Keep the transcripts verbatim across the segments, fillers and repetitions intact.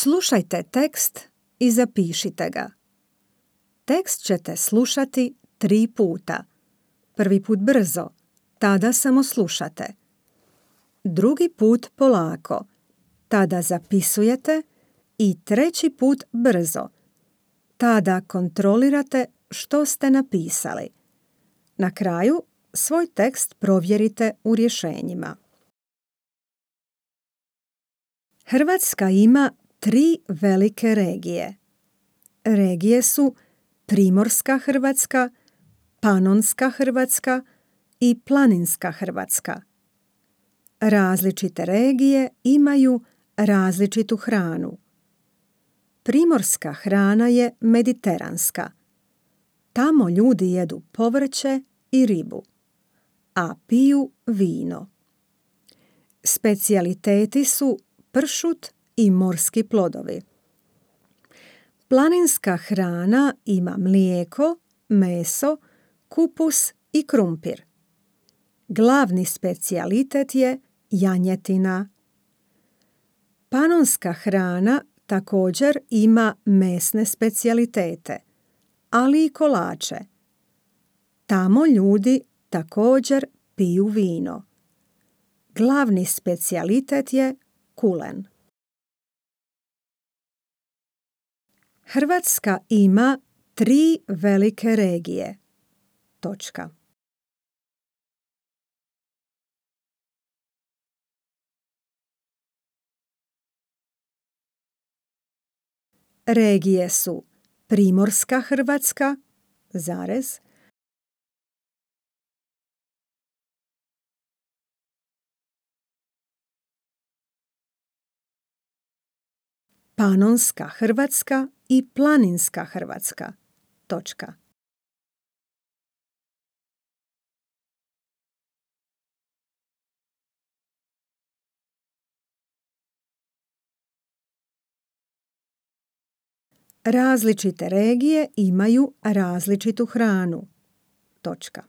Slušajte tekst i zapišite ga. Tekst ćete slušati tri puta. Prvi put brzo, tada samo slušate. Drugi put polako, tada zapisujete i treći put brzo. Tada kontrolirate što ste napisali. Na kraju svoj tekst provjerite u rješenjima. Hrvatska ima tri velike regije. Regije su Primorska Hrvatska, Panonska Hrvatska i Planinska Hrvatska. Različite regije imaju različitu hranu. Primorska hrana je mediteranska. Tamo ljudi jedu povrće i ribu, a piju vino. Specijaliteti su pršut i morski plodovi. Planinska hrana ima mlijeko, meso, kupus i krumpir. Glavni specijalitet je janjetina. Panonska hrana također ima mesne specijalitete, ali i kolače. Tamo ljudi također piju vino. Glavni specijalitet je kulen. Hrvatska ima tri velike regije. Točka. Regije su Primorska Hrvatska, zarez, Panonska Hrvatska i Planinska Hrvatska. Točka. Različite regije imaju različitu hranu. Točka.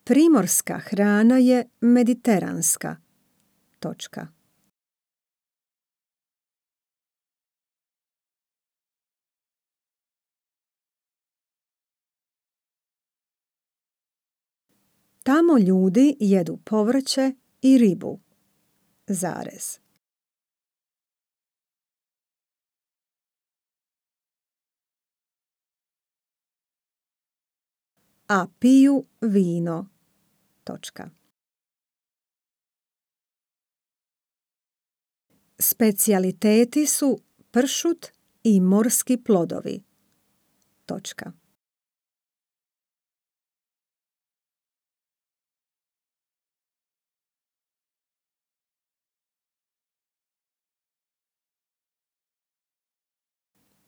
Primorska hrana je mediteranska. Točka. Tamo ljudi jedu povrće i ribu, zarez. A piju vino. Točka. Specijaliteti su pršut i morski plodovi. Točka.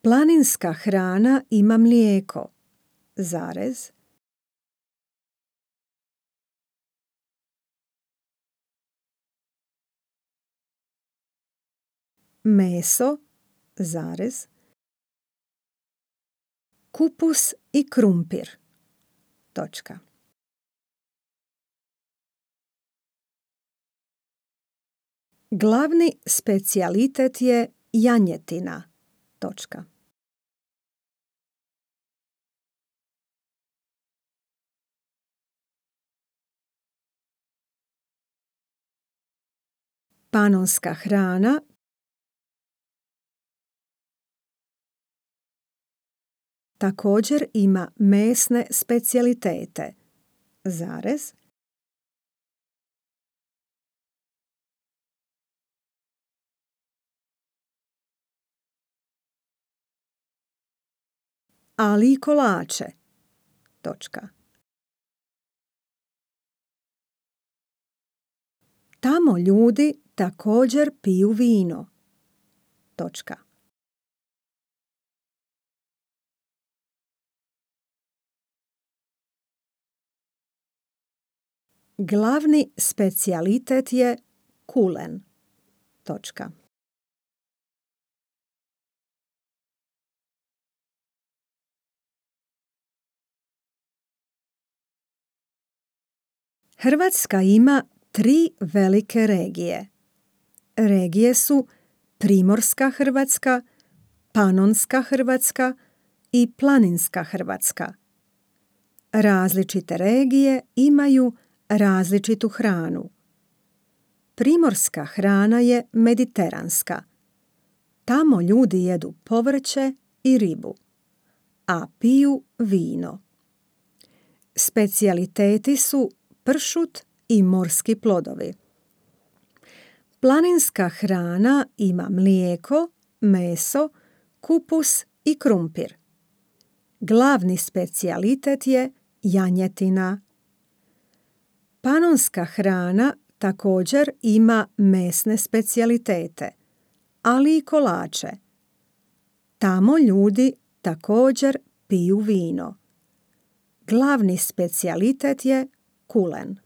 Planinska hrana ima mlijeko, zarez, meso, zarez, kupus i krumpir. Točka. Glavni specijalitet je janjetina. Točka. Panonska hrana također ima mesne specijalitete, zarez, ali i kolače. Točka. Tamo ljudi također piju vino. Točka. Glavni specijalitet je kulen. Točka. Hrvatska ima tri velike regije. Regije su Primorska Hrvatska, Panonska Hrvatska i Planinska Hrvatska. Različite regije imaju različitu hranu. Primorska hrana je mediteranska. Tamo ljudi jedu povrće i ribu, a piju vino. Specijaliteti su pršut i morski plodovi. Planinska hrana ima mlijeko, meso, kupus i krumpir. Glavni specijalitet je janjetina. Panonska hrana također ima mesne specijalitete, ali i kolače. Tamo ljudi također piju vino. Glavni specijalitet je kulen.